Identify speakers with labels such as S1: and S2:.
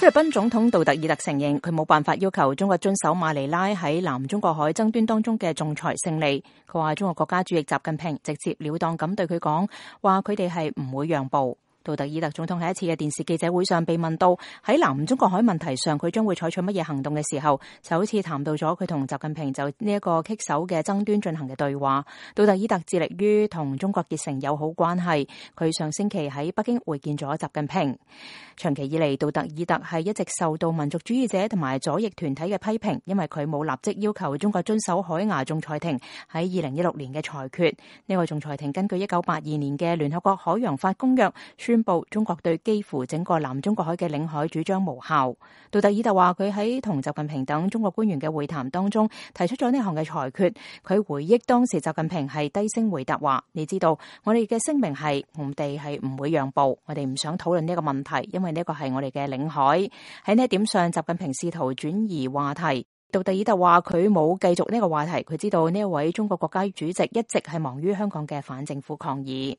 S1: 菲律賓總統杜特爾特承認佢冇辦法要求中國遵守馬尼拉喺南中國海爭端當中嘅仲裁勝利。佢話中國國家主席習近平直接了當咁對佢講，話佢哋係唔會讓步。杜特爾特總統喺一次嘅電視記者會上被問到喺南中國海問題上佢將會採取乜嘢行動嘅時候，就好似談到咗佢同習近平就呢一個棘手嘅爭端進行嘅對話。杜特爾特致力於同中國結成友好關係，佢上星期喺北京會見咗習近平。長期以嚟，杜特爾特係一直受到民族主義者同埋左翼團體嘅批評，因為佢冇立即要求中國遵守海牙仲裁庭喺2016年嘅裁決。呢個仲裁庭根據1982年嘅聯合國海洋法公約宣布中國對幾乎整個南中國海嘅領海主張無效。杜特爾特話佢喺同習近平等中國官員嘅會談當中提出咗呢項嘅裁決。佢回憶當時習近平係低聲回答話，你知道我哋嘅聲明係我哋係唔會讓步，我哋唔想討論呢個問題，因為呢個係我哋嘅領海。喺呢一點上，習近平試圖轉移話題。杜特爾特話佢冇繼續呢個話題，佢知道呢一位中國國家主席一直係忙於香港嘅反政府抗議。